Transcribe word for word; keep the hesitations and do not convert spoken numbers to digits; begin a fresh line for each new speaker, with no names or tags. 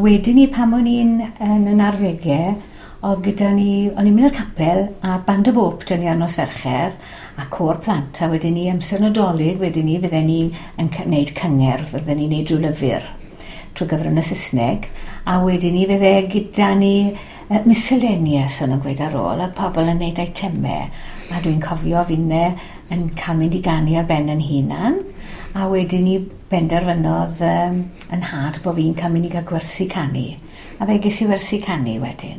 wedyn ni pan o'n i'n yn yn arddegau, oedd gyda ni, o'n i'n mynd i'r capel a Band of Hope 'da ni ar nos Fercher a côr plant, a wedyn ni amser Nadolig wedyn ni fydden ni yn gwneud cyngerdd, fydden ni'n neud rhyw lyfr trwy gyfrwng y Saesneg, a wedyn ni fydde gyda ni uh, miscellaneous o'n nhw'n gweud ar ôl, a pobl yn neud eitemau, a dwi'n cofio finne yn cael mynd i ganu ar ben yn hunan, a wedyn ni benderfynodd um, yn nhad bod fi'n cael mynd i gael gwersi canu, a fe ges i wersi canu wedyn.